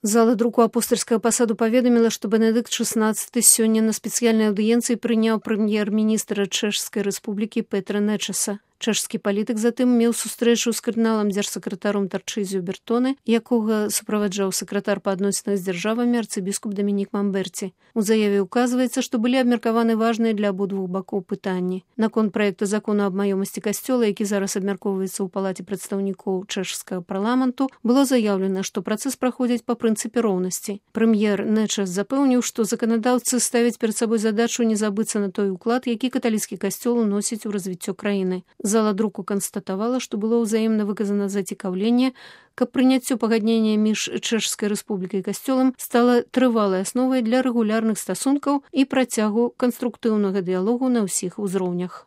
Зала друку апостальскага пасаду паведаміла, што Бенедыкт XVI сёння на спецыяльнай аўдыенцыі прыняў прэм'ер-міністра Чэшскай рэспублікі Петра Нечаса. Чэшскі палітык затым меў сустрэчу з кардыналам дзяржсакратаром Тарчызіо Бертоне, якога суправаджаў сакратар па адносінах з дзяржавамі арцыбіскуп Дамінік Мамберці. У заяве ўказваецца, што былі абмеркаваны важныя для абодвух бакоў пытанні. Наконт праекта закону аб маёмасці касцёла, які зараз абмяркоўваецца ў палаце прадстаўнікоў чэшскага парламенту, было заяўлена, што працэс праходзіць па прынцыпе роўнасці. Прэм'ер Нечас запэўніў, што заканадаўцы ставяць перад сабой задачу не забыцца на той уклад, які каталіцкі касцёл уносіць у развіццё краіны. Зала друку канстатавала, што было ўзаемна выказана зацікаўленне, каб прыняццё пагаднення між Чэшскай рэспублікай і касцёлам стала трывалай асновай для рэгулярных стасункаў і працягу канструктыўнага дыялогу на ўсіх узроўнях.